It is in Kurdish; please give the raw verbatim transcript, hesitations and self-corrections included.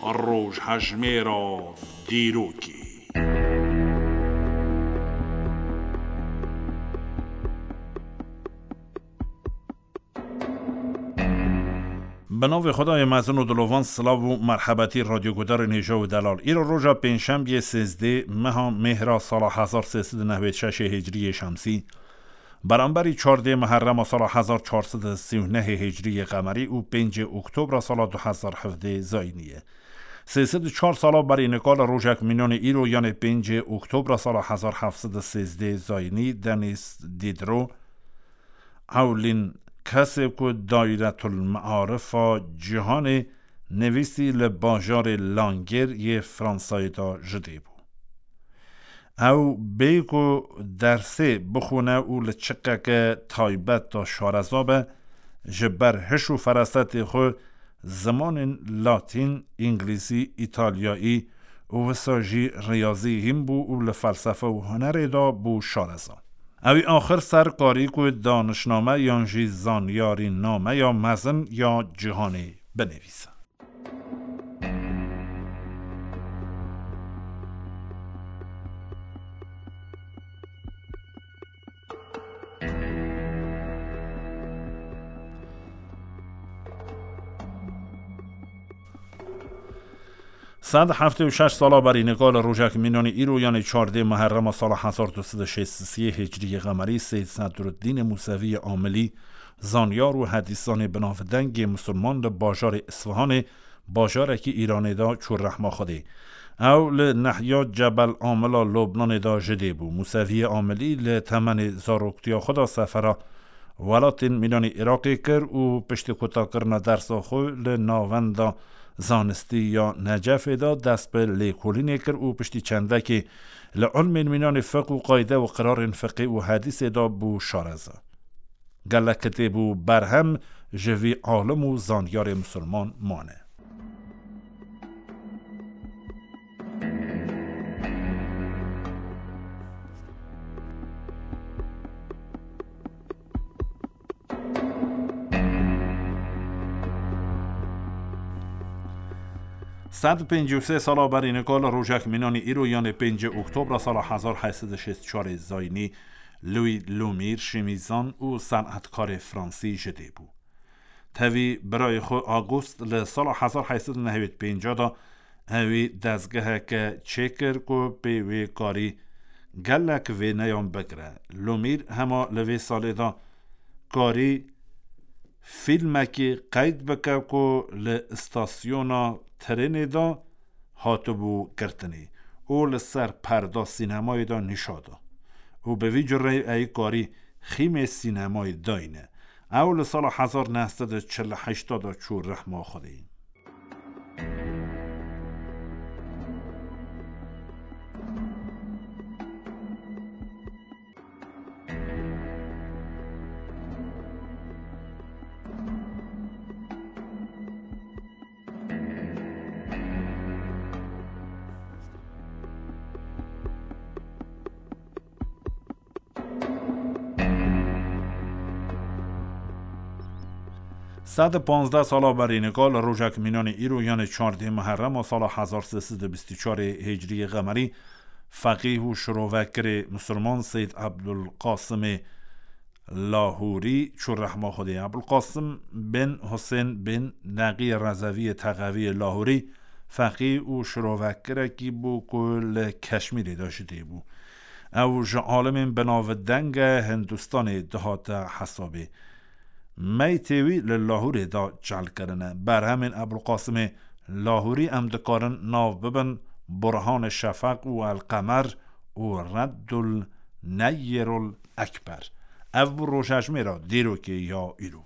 Rojhejmêra dîrokê. Bi navê Xwedayê mezin û dilovan, silav û merhebetî radyogudarên hêja û delal. Îro roja pêncşembiyê sêzdê meha Mêhra sala hezar sê sed û nehwêd şeşê hicriyê şemsî, beramberî çardê Muherrema sala hezar çar sed û sî û nehê hicriyê qemerî û pêncê Oktobra sala du hezar hevdê zayînî ye. Sê sed û çar sala berî nika li rojek mînanê îro, yanê pêncê Oktobra sala hezar heft sed û sêzdê zayînî, Denis Diderot, ewlîn kesê ku Dairetul Mearifa Cîhanê nivîsî, li bajarê Langêr yê Fransayê de ji dê bû. Ew bê ku dersê bixwine û li çiqeke taybet de şareza be, ji ber hiş û ferasetê xwe zimanên latîn, îngilîzî, îtalyayî û wisa jî riyazî hîn bû û li felsefe û hunerê de bû şareza. Ew ê axir ser karî ku danişname yan jî zanyarîname ya mezin ya cîhanê binivîse. Sed heftê û şeş sala berî nika li rojek mînanî îro, yanê çardê Muherrema sala hezar du sed û şêst û sê hicriyê qemerî, Seyd Sedruddînê Museviyê Amilî, zanyar û hedîsanê binavdengê misilman, li bajarê Isfahanê, bajarekî Îranê de çû rehma Xwedê. Ew li nehiya Cebel Amila Lobnanê de ji dê bû. Museviyê Amilî li temenê zaroktiya xwe de sefera welatên mînanî Iraqê kir û piştî kutakirina dersa xwe li navenda zanistî ya Necefê de dest bi lêkolînê kir û piştî çendekê li ilmên mînanî fiqh û qayde û qirarên fiqhê û hedîsê de bû şareza. Gelek kitêb û berhem ji vî alim û zanyarê misilman mane. Sed pêncî û sê sala berî nika li rojek mînanî îro, yanê pêncê Oktobra sala hezar heyt sed û şêst û çarê zayînî, Louis Lumière, şîmîzan û senetkarê fransî ji dê bû. Tevî birayê xwe August li sala hezar heyt sed û nehwêd pênc de ewî dezgeheke çêkir ku pê wê karî gelek wêneyan bigire. Lumière hema li vê salê de karî fîlmekî qeyd bike ku li îstasyona trênê de hatibû girtinê û li ser perda sînemayê de nîşa da û bi vî cureyê ey karî xîmê sînemayê dayîne. Ew li sala hezar neh sed û çil û heşt de çû rehma Xwedê. Sed û panzdeh sala berî nika li rojek mînanê îro, yanê çardê Muherrema sala hezar sê sed û bîst û çarê hicriyê qemerî, feqîh û şirovekirê misilman Seyd Ebdulqasimê Lahûrî çû rehma Xwedê. Ebulqasim bin Husên bin Neqî Rezeviyê Texeviyê Lahûrî, feqî û şirovekirekî bû ku li Keşmîrê de ji dê bû. Ew ji alimên binavdenge Hindistanê dihate hesabê. Meytê wî li Lahûrê de çal kirine. Berhemên Ebulqasimê Lahûrî em dikarin nav bibin Burhan Şefeq û El Qemer û Reddul Neyyirul Ekber. Ev bû rojhejmêra dîrokê ya îro.